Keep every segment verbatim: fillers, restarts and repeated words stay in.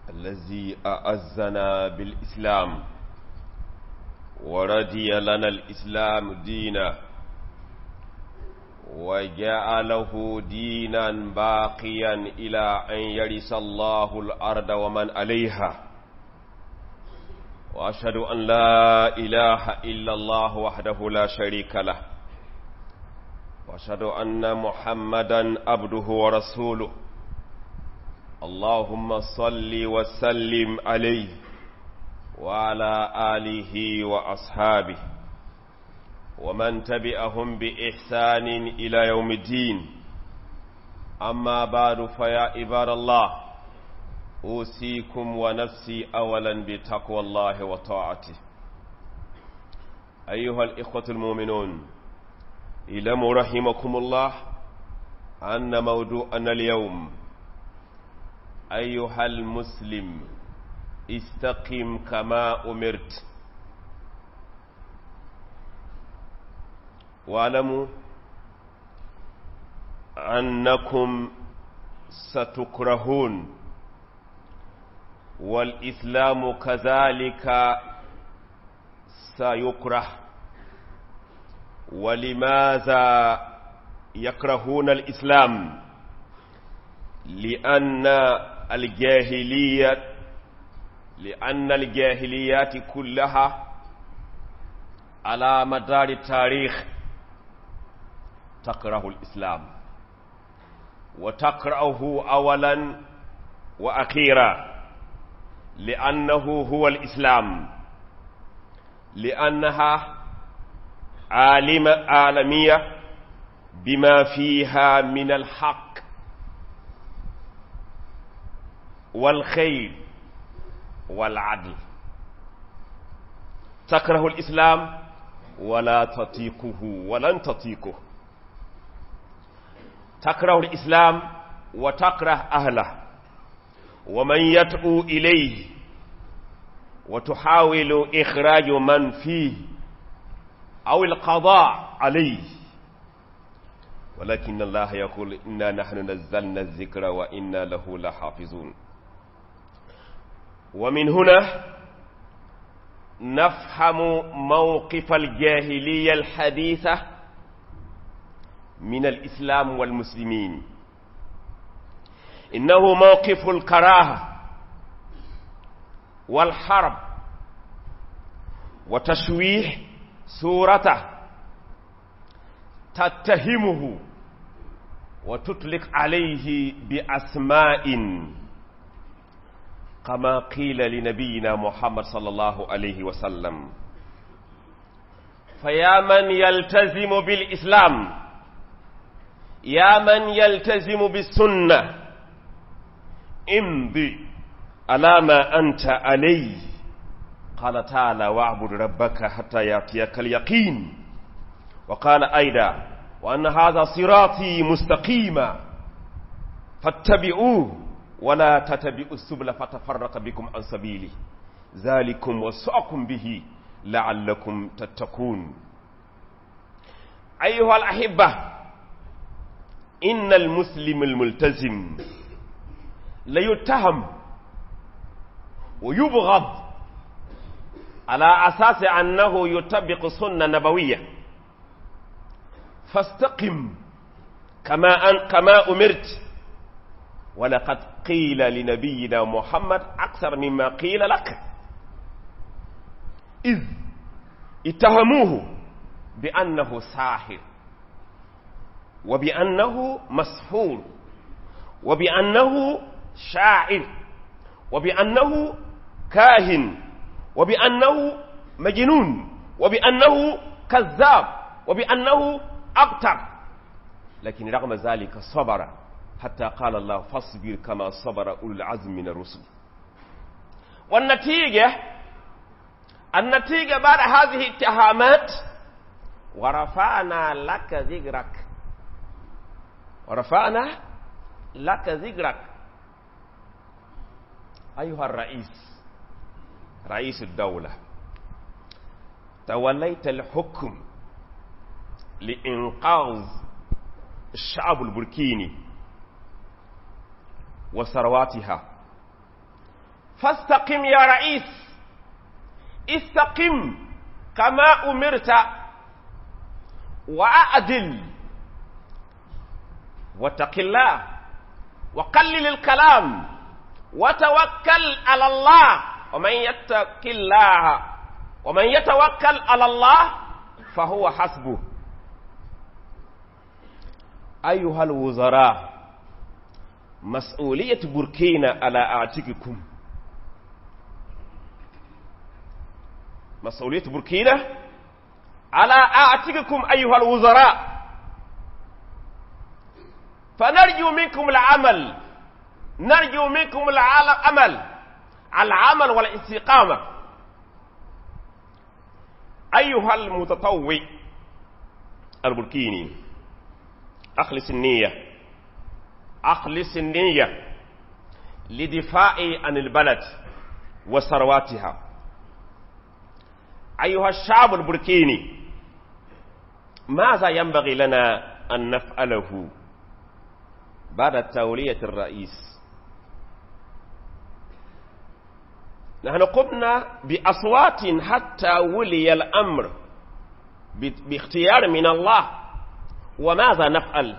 الذي أعزنا بالإسلام ورضي لنا الإسلام دينا وجعله دينا باقيا إلى أن يرث الله الأرض ومن عليها وأشهد أن لا إله إلا الله وحده لا شريك له وأشهد أن محمدا عبده ورسوله اللهم صل وسلم عليه وعلى آله وأصحابه ومن تبعهم بإحسان إلى يوم الدين أما بعد فيا عباد الله أوصيكم ونفسي أولا بتقوى الله وطاعته أيها الإخوة المؤمنون اعلموا رحمكم الله أن موضوعنا اليوم أيها المسلم استقم كما أمرت واعلموا أنكم ستكرهون والإسلام كذلك سيكره ولماذا يكرهون الإسلام لأن الجاهلية لأن الجاهليات كلها على مدار التاريخ تكره الإسلام وتقرأه أولا وأخيرا لأنه هو الإسلام لأنها عالمة عالمية بما فيها من الحق والخير والعدل تكره الإسلام ولا تطيقه ولن تطيقه تكره الإسلام وتكره أهله ومن يدعو إليه وتحاول إخراج من فيه أو القضاء عليه ولكن الله يقول إنا نحن نزلنا الذكر وإنا له لحافظون ومن هنا نفهم موقف الجاهلية الحديثة من الإسلام والمسلمين إنه موقف الكراهة والحرب وتشويه صورته تتهمه وتطلق عليه بأسماء كما قيل لنبينا محمد صلى الله عليه وسلم فيا من يلتزم بالإسلام يا من يلتزم بالسنة امضي على ما أنت عليه قال تعالى واعبد ربك حتى يأتيك اليقين وقال أيضا وأن هذا صراطي مستقيما فاتبعوه ولا تتبعوا السبل فتفرق بكم عن سبيله ذلكم وصاكم به لعلكم تتقون أيها الأحبة إن المسلم الملتزم ليتهم ويبغض على أساس أنه يطبق سنة نبوية فاستقم كما, أن كما أمرت ولقد قيل لنبينا محمد أكثر مما قيل لك إذ اتهموه بأنه ساحر وبأنه مسحور وبأنه شاعر وبأنه كاهن وبأنه مجنون وبأنه كذاب وبأنه أبتر لكن رغم ذلك صبر حتى قال الله فاصبر كما صبر أولو العزم من الرسل والنتيجة النتيجة بعد هذه الاتهامات ورفعنا لك ذكرك ورفعنا لك ذكرك أيها الرئيس رئيس الدولة توليت الحكم لإنقاذ الشعب البركيني وثرواتها فاستقم يا رئيس، استقم كما أمرت وأعدل واتق الله وقلل الكلام وتوكل على الله، ومن يتق الله ومن يتوكل على الله فهو حسبه. أيها الوزراء، مسؤولية بوركينا على أعتقكم، مسؤولية بوركينا على أعتقكم أيها الوزراء، فنرجو منكم العمل، نرجو منكم العمل، العمل والاستقامة. أيها المتطوع البوركيني، أخلص النية، أخلص النية لدفاع عن البلد وثرواتها. أيها الشعب البوركيني، ماذا ينبغي لنا أن نفعله بعد تولية الرئيس؟ نحن قمنا بأصوات حتى ولي الأمر باختيار من الله، وماذا نفعل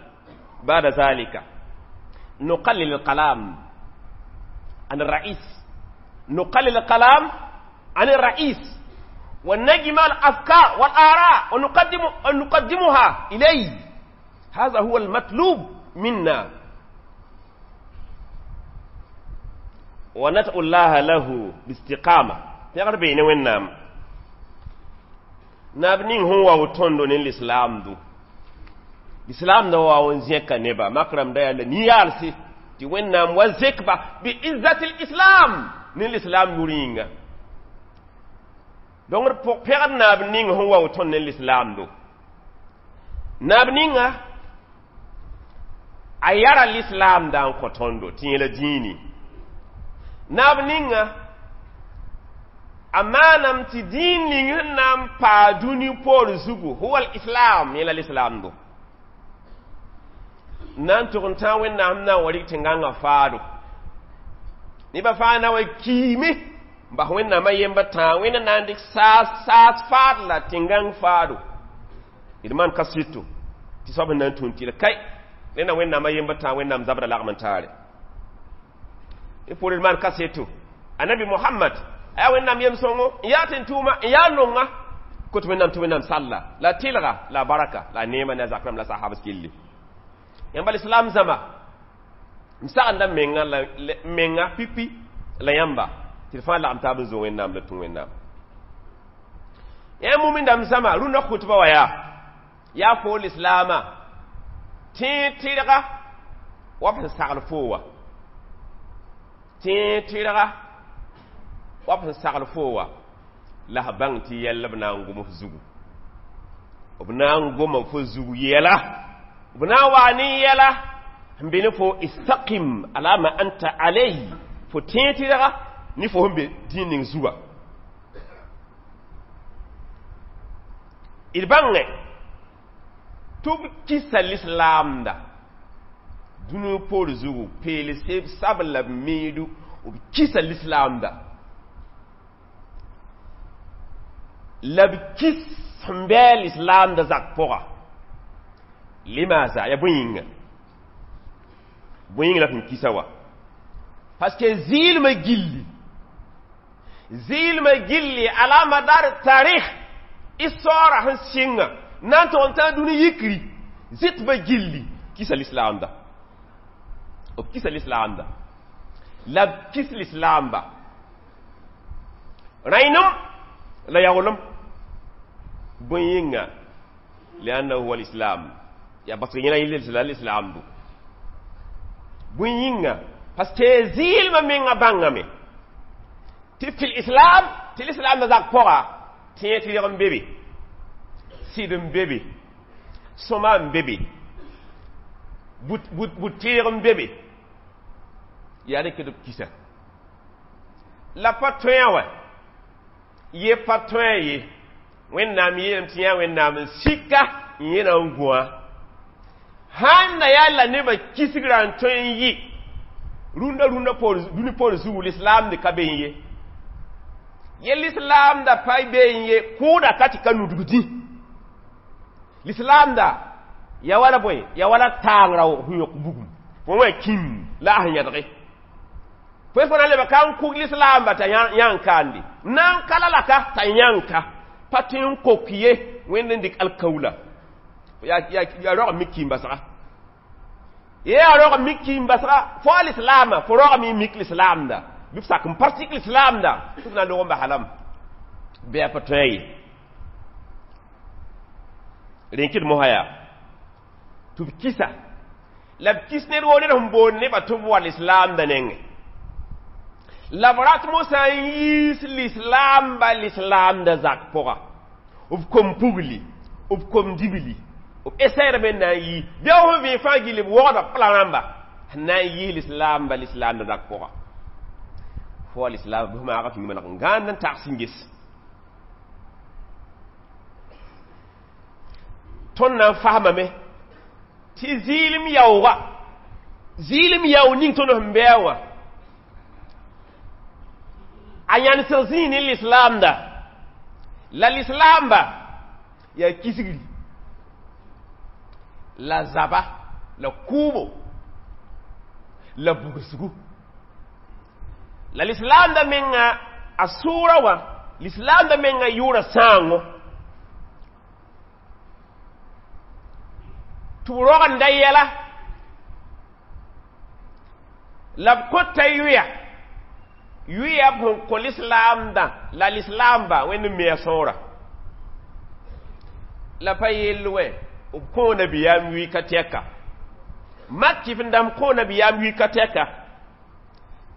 بعد ذلك؟ نقلل الكلام عن الرئيس، نقلل الكلام عن الرئيس ونجمع الأفكار والآراء ونقدم ونقدمها إليه. هذا هو المطلوب منا، وندعو الله له باستقامة. تقربين وين نابنين هو وتندو الإسلام دو الإسلام دو وانزيك نبا مكرم دا نيالسي تي وين نام وزكبا بعزة الإسلام نين الإسلام يورينغا. دونك بيغ نابنين هو وتندو الإسلام دو نابنين ayara l'islam dan kotondo tinyela dini nab ninga amanam ti din ning nam pa duni por zugu huwa al-islam ila l'islam do nan to ta wen nam na wari tinganga faado ni ba fa na wa kimi ba wen na ma yemba ta wen na ndik sa sa faad la tingang faado idman kasitu ti sob nan tunti la kai nena wen na ma yemba ta wen nam zabra lagman tare e pour man kasetu anabi muhammad ay wen nam yem songo ya tin tuma ya nonga ko to nam to nam salla la tilga la baraka la nema na zakram la sahaba skilli yamba islam zama msa anda menga la menga pipi la yamba tilfa la amtabu zo wen nam la tun wen nam ya mumin dam zama runa khutba waya ya fo islama ti tilga wa fa sagl fowa ti tilga wa fa sagl fowa la bang ti yalla bna ngumo zugu bna ngumo fo zugu yela bna wani yela mbini fo istaqim ala ma anta alayhi fo ti tilga ni fo humbe dinin zuwa ilbange tub kisa l'islam da dunu por zugu pele seb sabla midu ub kisa l'islam da lab kis mbel islam da zak pora limaza ya buyinga buyinga la fin kisawa parce que zil me gilli zil me gilli ala madar tarikh isora han singa nan to on duni yikri zit ba gilli kisa l'islam da o kisa l'islam da la kis l'islam ba rainum la yawlum buyinga lianna huwa l'islam ya basrina ila l'islam bu buyinga parce que zil ma minga bangame ti fil islam ti l'islam da zak pora ti ti ram bebe sidum bebe soma bebe but but butirum bebe ya de kedo kisa la patron wa ye patron ye wen na mi yem tiya wen na mi sika ye na ngwa han na ya la ne ba kisigran ton yi Rũndã rũndã poor dũni poor zugu lislaamd ka be n ye. Ye lislaamda pa be n ye kʋʋda ka tɩ ka nudg dĩ. Lislaamda ya wala bõe ya wala taangrã sẽn yõk bugum. Fo wã kĩm la a sẽn yẽdge. Fo fo na n lebg ka n kug lislaamba t'a yãng kaande. Na n ka la laka t'a yãng ka. Pa tõe n kok ye Wẽnd n dɩk alkaula. Ya roag mik kĩim basga. Ye yaa roag mik kĩim basga fo a lislaama fo roagame n mik lislaamda. Bɩ f sak n pratik lislaamda tɩ f na n log n basa lame. Bɩ a pa tõe ye. Rẽn kɩd mosã yaa tɩ b kisa la b kis ned woo ned sẽn boond nebã tɩ b wa lislaamda nengẽ. La b rat mosã n yiis lislaamba lislaamda zak pʋga. B kom pugli, b kom dibli, b essayerame n na n yi. Bɩ f sẽn vẽeg fãa gill b wogda pla rãmba sẽn na n yiis lislaamba lislaamda zak pʋga. Fo a lislaam bɩ f maaga fĩng maneg n gãand n tags n ges. Tõnd na n fasmame tɩ zɩɩlem yaooga zɩɩlem yaoog ning tõnd sẽn bɩ wã a yãnesg zĩig ne lislaamda la lislaamba yaa kisgri la zaba la kʋʋbo la bugsgu la lislaamda menga a sʋʋra wã lislaamda menga yʋʋra sãango tɩ b rogenda yɛla la b kõta yʋya yʋya b sẽn kõ lislaamdã la lislaamba Wẽnd n me a sõora la pa yell wɛ b kõo nabiyaam yʋɩ ka tɛka mak tɩ f n dãmb kõo nabiyaam yʋɩ ka tɛka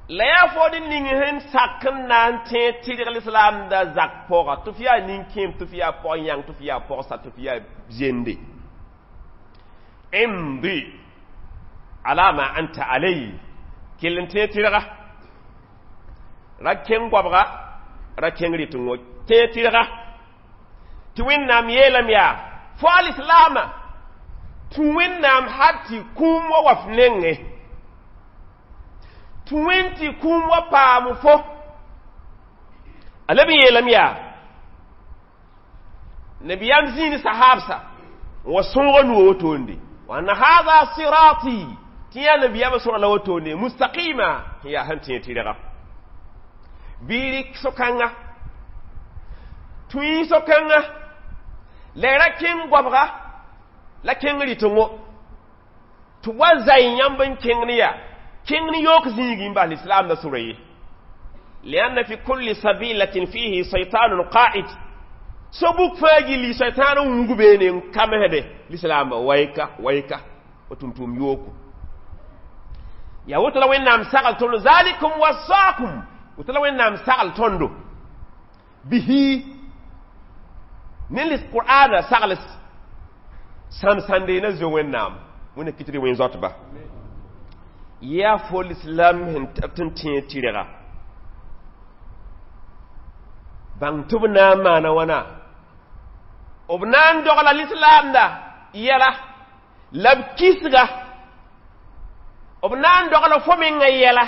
la yaa fod ning sẽn sak n na n tẽeg tɩrg lislaamda zak pʋga tɩ f yaa nin-kẽem tɩ f yaa pɔg-yãng tɩ f yaa pɔgsa tɩ f yaa zende imdi ala ma anta alayhi kell n tẽeg tɩrga ra kẽng goabga ra kẽng rɩtengõ tẽeg tɩrga tɩ Wẽnnaam yeelame yaa fo a lislaama tɩ Wẽnnaam hal tɩ kũum wa wa f nengẽ tɩ Wẽnd tɩ kũum wa paam fo a leb n yeelame yaa nabiyaam zĩig sahaabsa n wa sõoga nuo wotoonde wa anna hadha sirati tɩ yaa nabiyaamã sõra la wotoonde mustaqima sẽn yaa sẽn tẽeg tɩrga bɩ rɩk so-kãnga tũi so-kãnga la ra kẽng goabga la kẽng rɩtengõ tɩ wa zay yãmb n kẽng ne yaa kẽng ne yook zĩigẽ n bas lislaamda sʋra ye lianna fi kulli sabilatin fihi shaytanun qa'id so-buk fãa gilli shaytan n wug beene n kamsde lislaamba wayka wayka wa tʋm-tʋʋm yooko yaa woto la Wẽnnaam sagl tõndo zalikum wasaakum woto la Wẽnnaam sagl tõndo bihi ne lis-qur'ana sagl sãm-sãnde na zoe Wẽnnaam Wẽnna kɩtd wẽn zoatba yaa fo lislaam sẽn tɩ n tẽeg tɩrga bãng tɩ b na n maana wãna b na n dogla lislaamda yɛla la b kisga b na n dogla fo menga yɛla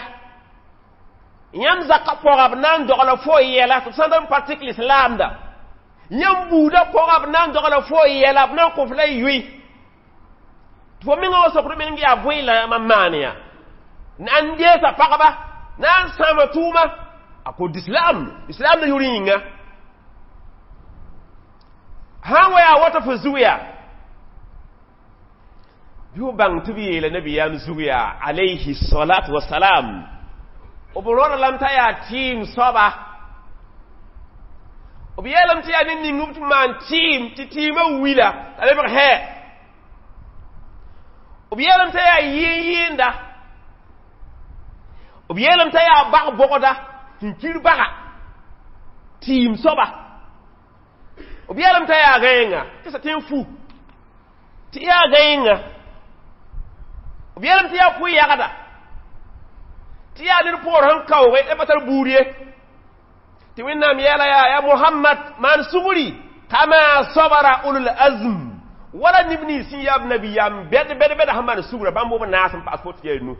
yãmb zakã pʋga b na n dogla fo yɛla tɩ b sã n n pratik lislaamda yãmb buudã pʋga b na n dogla fo yɛla b na n kõ f la y yʋɩ tɩ fo menga wa sokd meng yaa bõe la mam maan yaa na n deesa pagba na n sãama tʋʋma a kod islam islam da yʋr yĩnga sã n wa yaa wata fo zug yaa bɩ f bãng tɩ b yeela nabiyaam zug yaa alayhi salatu wasalam b rõda lame t'a yaa tɩɩm soaba b yeelame tɩ yaa ned ning b tɩ maan tɩɩm tɩ tɩɩmã wila t'a lebg hɛ b yeelame t'a yaa yɩɩn-yɩɩnda b yeelame t'a yaa bag-bogda sẽn kir baga tɩɩm soaba b yeelame t'a yaa gãenga tɩ sa tõe n fu tɩ yaa gãenga b yeelame tɩ yaa pʋ-yagda tɩ yaa ned poor sẽn kaooge la pa tar buud ye tɩ Wẽnnaam yeela yaa ya Mohamad maan sugri kama sabara ulul azm wala neb nins sẽn yaa b nabiyaam bɛd bɛd bɛda sẽn maan sugra bãmb b naas n paas fo tɩ yaa nu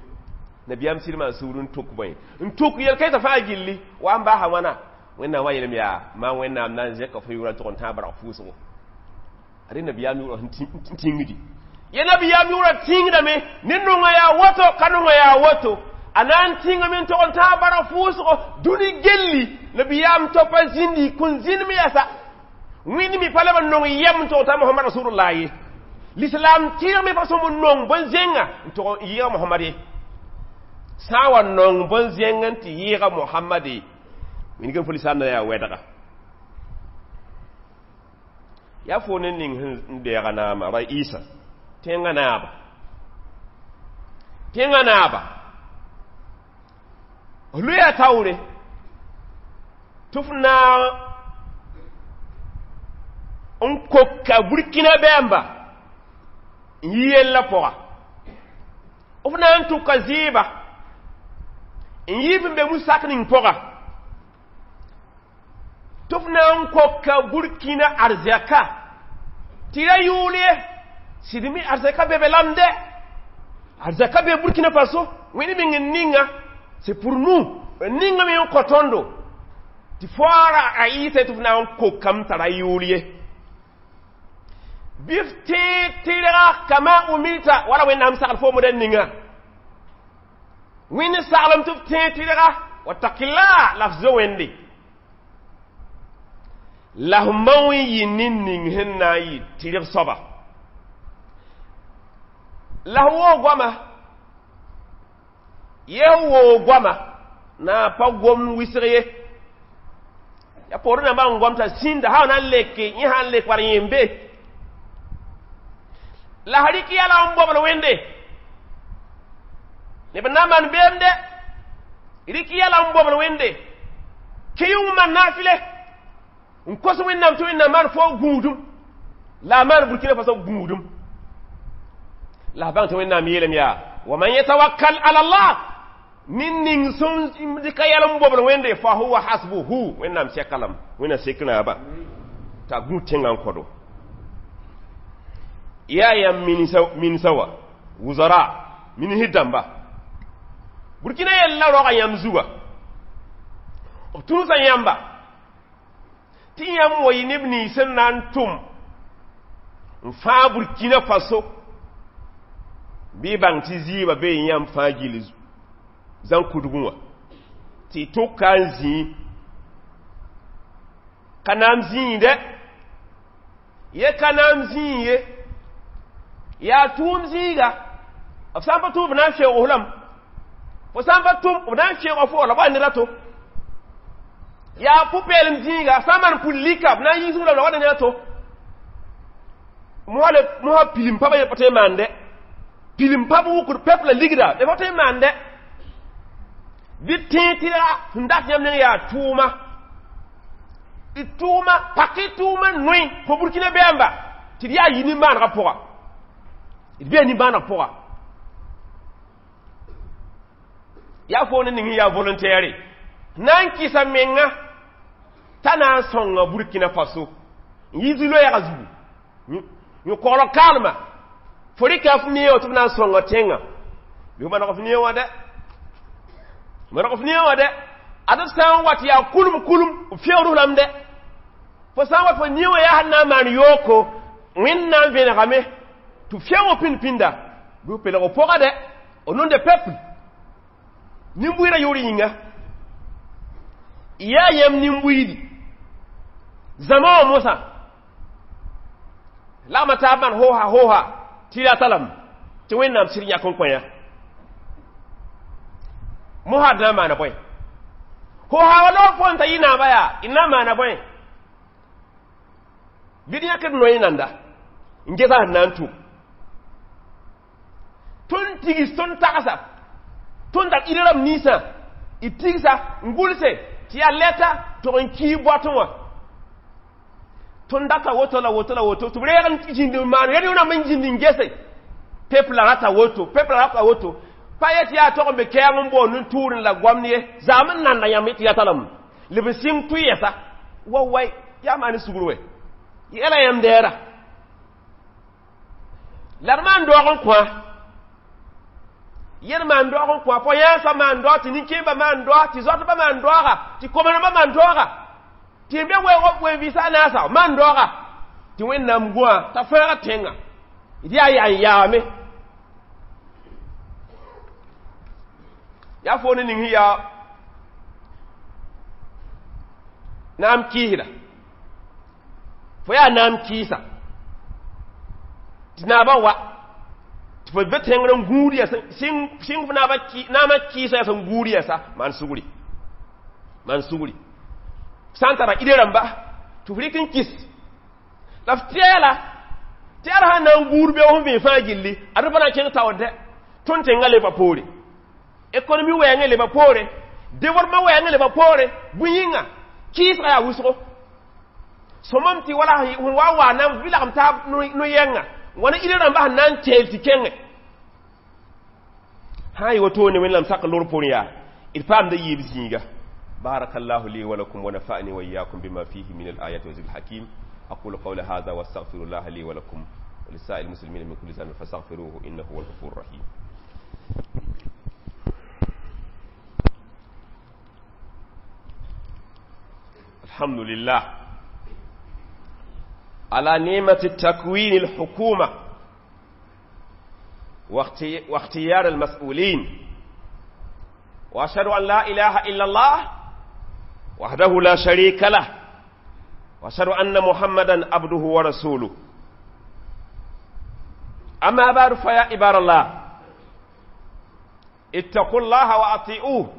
Nabiyaam sɩd maan sugr n tuk bõe n tuk yel-kãensã fãa gilli wa n baasa wãna wẽnnaam wa yeelame yaa maa wẽnnaam na n zẽka fo yʋʋrã n tʋg n tãag barg fʋʋsgo ad nabiyaam yʋʋrã sẽn tĩngdi ye nabiyaam yʋʋrã tĩngdame ne nongã yaa woto ka nongã yaa woto a na n tĩngame n tog n tãag barg fʋʋsgo dũni gelli nabiyaam topa zĩndi kõn zĩnd me yɛsa wẽnd mi pa leb n nong yɛm n tog t'a mohamad rasulullah ye l'islam tɩrg me pa sõm n nong bõn-zẽnga n tog n yɩɩga mohamad ye sã n wa nong bõn-zẽng n tɩ yɩɩga mohamad ye wĩnigã fo lislaam na yaa wɛdga yaa fo ne ning sẽn deega naama raisa tẽngã naaba tẽngã naaba loya taoore tɩ f na n koka burkina bɛɛmba n yi yella pʋga f na n tʋka zɩɩba n yiib n be musak ning pʋga tɩ f na n koka burkina arzɛka tɩ ra yʋʋl ye sɩd me arzɛka be be lamde arzɛka be burkina faso wẽnd meng n ninga c'est pour nous ninga me n kõ tõndo tɩ foara a yɩɩsa tɩ f na n kokame tara yʋʋl ye bɩ f tẽeg tɩrga kama umirta wala wẽnnaam sagl foomdã ninga wẽnd saglem tɩ f tẽeg tɩrga wattaqillah la f zo wẽnde la f mao n yɩ ne ning sẽn na n yɩ tɩrg soaba la f woog goama ye woog goama na pa gom wɩsg ye ya poorẽ nambã n gom t'a sĩnda sã na n leke yẽ sã n lek war yẽ n be la f rɩk yɛla n bobl wẽnde neb na n maan beemde rɩk yɛla n bobl wẽnde kɩ yʋng maan naafɩle n kos wẽnnaam tɩ wẽnnaam maan fo gũudum la a maan burkina faso gũudum la f bãng tɩ wẽnnaam yeelame yaa wa man yatawakkal ala allah nin ning sẽn dɩka yɛl n bobl wẽnde fa huwa hasbuhu wẽnnaam sɛka lame wẽnnaam sek naaba t'a gũ tẽngã n kõdo yaa yãmb minsa wa wuzara minisd dãmba burkina yella roga yãmb zuga b tũusa yãmba tɩ yãmb wa yɩ neb nins sẽn na n tʋm n fãag burkina faso bɩ bãng tɩ zɩɩba bee yãmb fãa gill zãn kudgẽ wã tɩ tʋka n zĩi ka naam zĩinde ye ka naam zĩig ye yaa tʋʋm zĩiga b sã n pa tʋm b na n feoog lame fo sã n pa tʋm b na n feooga fo la b wa ned a to yaa pʋ-peelem zĩiga sã n maan pʋl lika b na n yiisg lame la wa ned a to mosã pilim pa pa tõe n maande pilim pa b wʋkd peuple ligda b pa tõe n maande bɩ tẽeg tɩ sẽn dat yãmb neng yaa tʋʋma d tʋʋma pak y tʋʋma noe fo burkina bɛɛmba tɩ d yaa yi nimbãanegã pʋga d bee nimbãaneg pʋga yaa fo ne ning yaa volontaire na n kɩsa menga t'a na n sõnga burkina faso n yi zu-loɛɛgã zugu yõ koglg kaalma fo rɩka f neoog tɩ f na n sõnga tẽngã bɩ f maneg f neoog wã dɛ maneg f neoog wã dɛ ad f sã n wat yaa kulum kulum f feood lame dɛ fo sã n wat fo neoogã yaa sẽn na n maan yooko wẽnd na n vẽnegame tɩ feoog pĩnd pĩnda bɩ f pelg f pʋga dɛ au nom de peuple nin-buiidã yʋʋr yĩnga yaa yãmb nin-buiidi zãma wã mosã lagma taab maan hoosa hoosa tɩ rata lame tɩ wẽnnaam sɩd yãk n kõ yã mosã d na n maana bõe hoosa wa loog fo n ta yɩ naaba yaa d na n maana bõe bɩ d yãkd noe nanda n gesa sẽn na n tʋm tõnd tigs tõnd tagsa tõnd tar ɩd rãmb ninsã d tigsa n gʋlse tɩ yaa lɛta tog n kii boatẽ wã tõnd data woto la woto la woto tɩ b reeg n zĩnd n maan rẽnd rãmb n zĩnd n gese pepla rata woto pepla rata woto pa yet yaa tog n be kɛɛng n boond n tʋʋr n la goamd ye zaam n nanda yãmb tɩ yata lame lb n sɩng tʋ yɛsa wa wai yaa maan sugr wɛ yɛla yãmb dɛɛra la d maan doog n kõa Yẽd maan doog n kõ a pɔ-yãnsã maan doog tɩ nin-kẽembã maan doog tɩ zoatbã maan doaga tɩ kom-rãmbã maan doaga tɩ n be wen-vɩɩsã a naasa maan doaga tɩ Wẽnnaam gõa t'a fãaga tẽngã d yaa yaa n yaame yaa fo ne ning sẽn yaa naam kɩɩsda fo yaa naam kɩɩsa tɩ naabã wa tɩ fo be tẽngr n gũud yɛs sɩng naamã kɩɩsã yaa sẽn gũud yɛsa maan sugri maan sugri sã n tara ide rãmba tɩ f rɩk n kɩs la f tɛɛla tɛɛr sã n na n gũud beoog sẽn vẽe fãa gilli ad pa na n kẽng taoor dɛ tõnd tẽngã leba poore économie wɛɛngẽ leba poore développement wɛɛngẽ leba poore bõe yĩnga kɩɩsga yaa wʋsgo sõmam tɩ wala sẽn wa wa na n lagem taab no-yɛnga wãna ide rãmba sẽn na n teel tɩ kẽngẽ sã n yɩ woto ne Wẽnnaam sak lor poorẽ yaa d paamda yiib zĩiga بارك الله لي ولكم ونفعني وإياكم بما فيه من الآيات والذكر الحكيم أقول قول هذا واستغفر الله لي ولكم ولسائر المسلمين من كل ذنب فاستغفروه إنه هو الغفور الرحيم الحمد لله على نعمة التكوين الحكومة واختيار المسؤولين وأشهد أن لا إله إلا الله وحده لا شريك له وأشهد أن محمدا عبده ورسوله أما بعد فيا عباد الله اتقوا الله وأطيعوه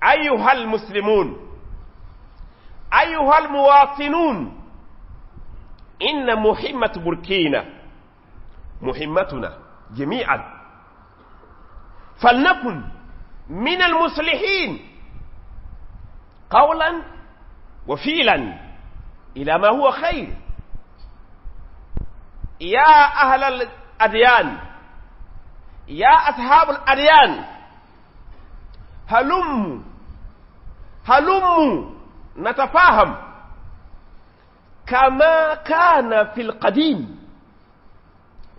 أيها المسلمون أيها المواطنون إن مهمة بوركينا مهمتنا جميعا فلنكن من المصلحين قولا وفعلا إلى ما هو خير يا أهل الأديان يا أصحاب الأديان هلموا هلموا نتفاهم كما كان في القديم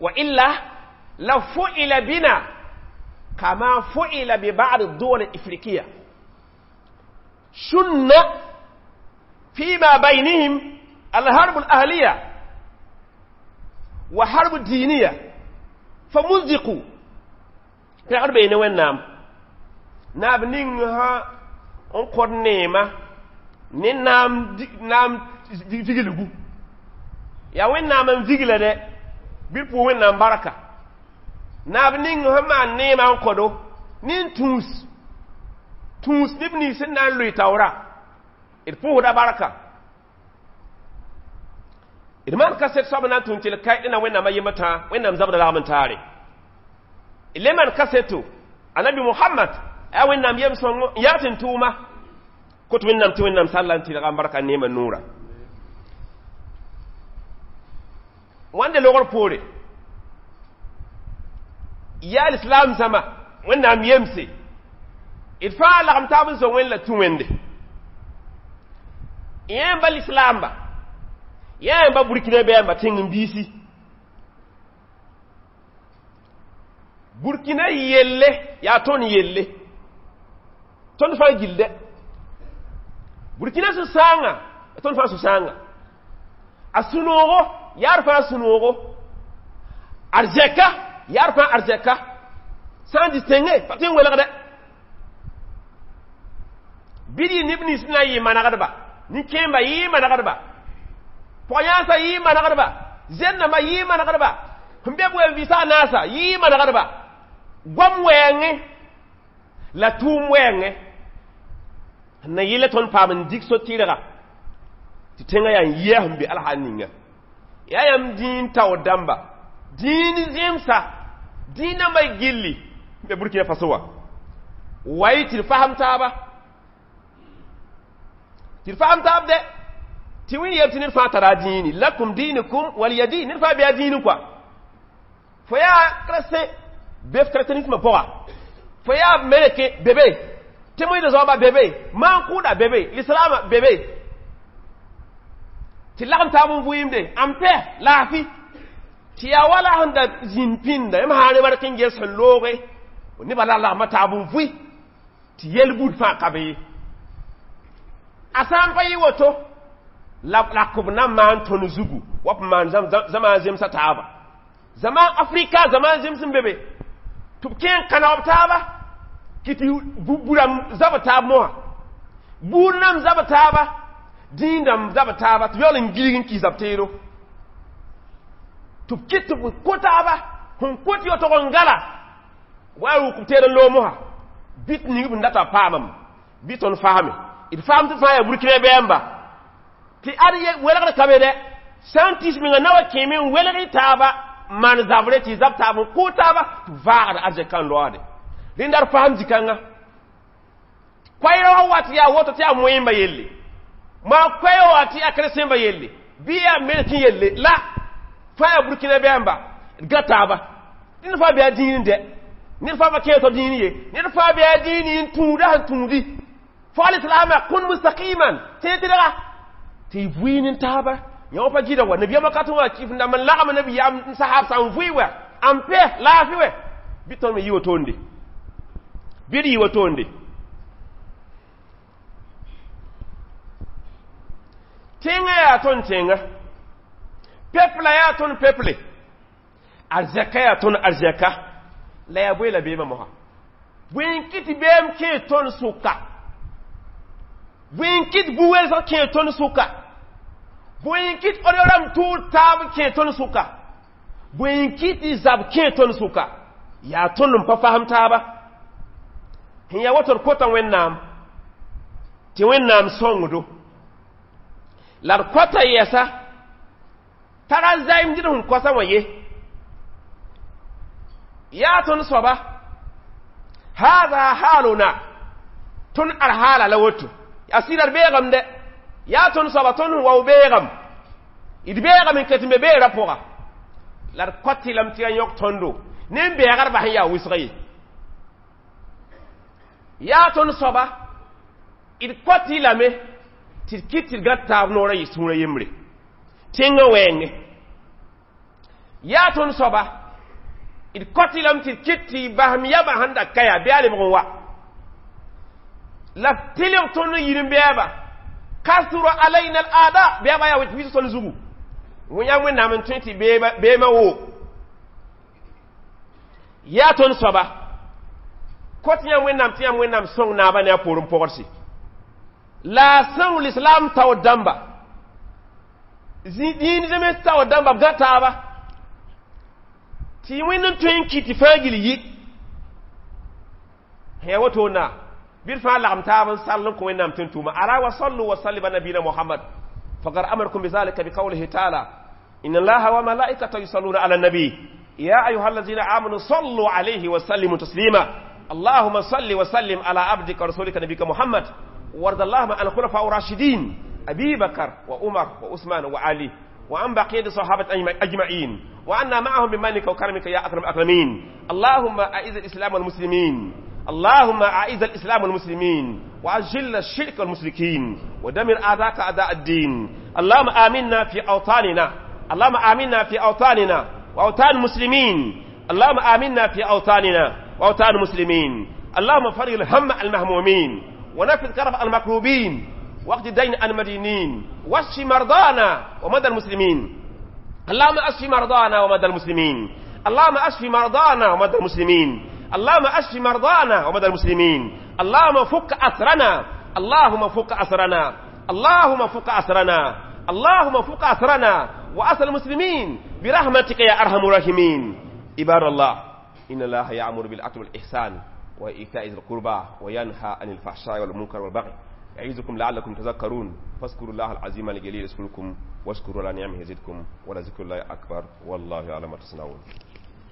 وإلا لفعل بنا كما فعل ببعض الدول الإفريقية شن فيما بينهم الحرب الأهلية وحرب الدينية فمزقوا في حرب بين وين ناب نينها انقر نيمة ne naam naam viglgu yaa wẽnnaam n vigla dɛ bɩ d pʋʋs wẽnnaam barka naab ning sẽn maan neemã n kõdo ne n tũus tũus neb nins sẽn na n loe taoora d pʋʋsda barka d maan kaset soab na n tũn tɩ l kaɩd na wẽnnaam a yembr tãa wẽnnaam zabda lagm n taare d le maan kaseto anabi muhammad yaa wẽnnaam yem sõngo n yaa tɩ n tʋʋma kot wẽnnaam tɩ wẽnnaam sall n tɩlga n barka neemã noora wãnde logr poore yaa lislaam zãma wẽnnaam yemse d fãa lagem taab n zo wẽn la tũ wẽnde yẽmba lislaamba yẽmba burkina bɛɛmba tẽng n biisi burkina yelle yaa tõnd yelle tõnd fãa gilde burkina sũ-sãangã tõnd fãa sũ-sãangã a sũ-noogo yaa d fãa sũ-noogo arzɛka yaa d fãa arzɛka sã n distingue pa tɩ n welgdɛ bɩ d yɩ neb nins na n yɩ manegdba nin-kẽemba yɩ manegdba pɔg-yãnsã yɩ manegdba zẽn-dãmbã yɩ manegdba sẽn be b wen-vɩɩsã a naasa yɩ manegdba goam wɛɛngẽ la tʋʋm wɛɛngẽ n na yɩla tõnd paam n dig so-tɩrga tɩ tẽngã yaa n yɩa sẽn be alhaal ninga yaa yãmb dĩin taoor dãmba dĩin zẽmsa dĩin dãmbã gilli n be Burkina Faso wã wa y tɩ d fasem taaba tɩ d fasem taab dɛ tɩ wẽn yel tɩ ned fãa tara a dĩini lakum diinukum waliya diin ned fãa bɩ a dĩini kɔa fo yaa chrétien be f chrétianisme pʋga fo yaa meleke bebe tɩ moɩda zoaba bebe maan-kʋʋda bebe lislaamã bebe tɩ lagem taab n vʋɩɩmde am pɛ laafɩ Tɩ yaa wala sẽn da zĩnd pĩnda yãmb sã ne bark n ges sẽn looge nebã la lagma taab n vʋɩ tɩ yel-bud fãa ka be ye. A sã n pa yɩ woto la rakb na n maan tõnd zugu wa b maan zãma zemsã taaba. Zãma Afrika zãma zems n be be tɩ b kẽ n kãneg b taaba kɩ tɩ burãmb zab taab mosã buud nam zab taaba dĩindãmb zab taaba tɩ yaool n gilg n kis b teedo tɩ b kɩt tɩ b kõ taaba sẽn kot yotg n gala wa rʋk b teed n loog mosã bɩ tɩ ning b n data paamam bɩ tõnd faame d faam tɩ fãa yaa burkina bɛɛmba tɩ ad welgd ka be dɛ sã n tis menga na wa kẽeme n welg y taaba maan zabre tɩ zab taab n kʋʋ taaba tɩ vaagd arzɛka n loaade rẽnda d faam zikãngã koɛɛrã wa wat yaa woto tɩ yaa moẽmba yelle maa koɛɛ wa tɩ yaa kresẽmba yelle bɩ yaa medecin yelle la fãa yaa burkina bɛɛmba d ga taaba ned fãa bɩ a dĩin dɛ ned fãa pa kẽe tɩ dĩin ye ned fãa bɩ a dĩin n tũuda sẽn tũudi fo alislaama kun mustaqiman tẽe tɩdga tɩ y vʋɩ ne taaba yã pa gɩda wa nabiyaamã ka tɩ wã kɩf n dãmb n lagm nabiyaam n sahab sã n vʋɩ wɛ n pɛ laafɩ wɛ bɩ tõnd me yɩ wotonde bɩ d yɩ wotonde tẽngã yaa tõnd tẽnga pepla yaa tõnd peple arzɛka yaa tõnd arzɛka la yaa bõe la beemã mosã bõe n kɩt beem kẽe tõnd sʋka bõe n kɩt bu-welsg kẽe tõnd sʋka bõe n kɩt od rãmb tʋʋr taab kẽe tõnd sʋka bõe n kɩt tɩ zab kẽe tõnd sʋka yaa tõnd n pa fasem taaba sẽn yaa woto d kota Wẽnnaam tɩ Wẽnnaam sõngdo la d kota yɛsa tara zaɩmd d sẽn kosa wã ye yaa tõnd soaba haada haaluna tõnd ad haala la woto a sɩda d beegame dɛ yaa tõnd soaba tõnd sẽn wao beegame d beegame n ket n be beerã pʋga la d kɔt lame tɩ ya yõk tõndo ne n bɛɛgd bas n yaa wʋsg ye yaa tõnd soaba d kɔt lame tɩ d kɩt tɩ d gã taab noorã yɩ sũurã yembre tẽngã wɛɛngẽ yaa tõnd soaba d kɔt lame tɩ d kɩt tɩ basem yamã sẽn da ka yaa bɩ a lebg n wa la tɩlg tõnd n yir n bɛɛba kasura alayna al aada bɛɛba yaa wis tõnd zugu yã Wẽnnaam n tõe tɩ beemã woo yaa tõnd soaba kot yã Wẽnnaam tɩ yãmb Wẽnnaam sõng naabã ne a poorẽ pogdse la a sõng lislaam taoor dãmba dĩin zems taoor dãmba b gã taaba tɩ Wẽnd n tõe n kɩt tɩ fãa gill yɩ sẽn yaa wotona bɩ d fãa lagem taab n sall n kõ Wẽnnaam tɩ n tʋʋma ala wa sallu wa sallim ala nabiyina Muhammad faqad amarakum bizalika biqawlihi taala inna allaha wa malaikatahu yusalluna ala nabi ya ayuha allazina amanu sallu alayhi wa sallimu taslima اللهم صل وسلم على عبدك ورسولك نبيك محمد وارض اللهم عن الخلفاء الراشدين أبي بكر وعمر وعثمان وعلي وعن بقية الصحابة أجمعين وعنا معهم بمنك وكرمك يا أكرم الأكرمين اللهم أعز الإسلام والمسلمين اللهم أعز الإسلام والمسلمين وأجل الشرك والمشركين ودمر أعداءك أعداء الدين اللهم آمنا في أوطاننا اللهم آمنا في أوطاننا وأوطان المسلمين اللهم آمنا في أوطاننا وأوطان المسلمين اللهم فرج الهم المهمومين ونفذ كرب المكروبين واقض دين المدينين واشف مرضانا ومدى المسلمين اللهم اشف مرضانا ومدى المسلمين اللهم اشف مرضانا ومدى المسلمين اللهم اشف مرضانا ومدى المسلمين اللهم فك أسرنا اللهم فك أسرنا اللهم فك أسرنا اللهم فك أسرنا وأسر المسلمين برحمتك يا أرحم الراحمين عباد الله إن الله يأمر بالعدل والإحسان وإيتاء ذي القربى وينهى عن الفحشاء والمنكر والبغي يعظكم لعلكم تذكرون فاذكروا الله العظيم الجليل يذكركم واشكروا على نعمه يزدكم ولذكر الله أكبر والله يعلم ما تصنعون.